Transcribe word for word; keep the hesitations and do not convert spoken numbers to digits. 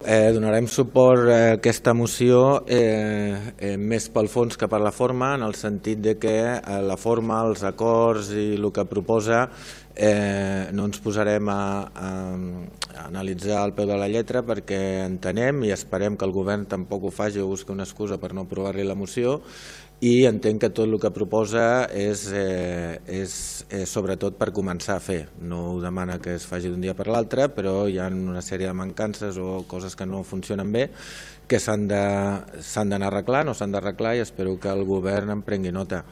Eh, donarem suport a aquesta moció eh, eh, més pel fons que per la forma, en el sentit de que eh, la forma, els acords i el que proposa eh, no ens posarem a, a, a analitzar al peu de la lletra, perquè entenem i esperem que el govern tampoc ho faci o busqui una excusa per no aprovar-li la moció, i entenc que tot el que proposa és, eh, és, és sobretot per començar a fer. No ho demana que es faci d'un dia per l'altre, però hi ha una sèrie de mancances o coses que no funcionen bé que s'han d'anar arreglant o s'han d'arreglar, i espero que el govern en prengui nota.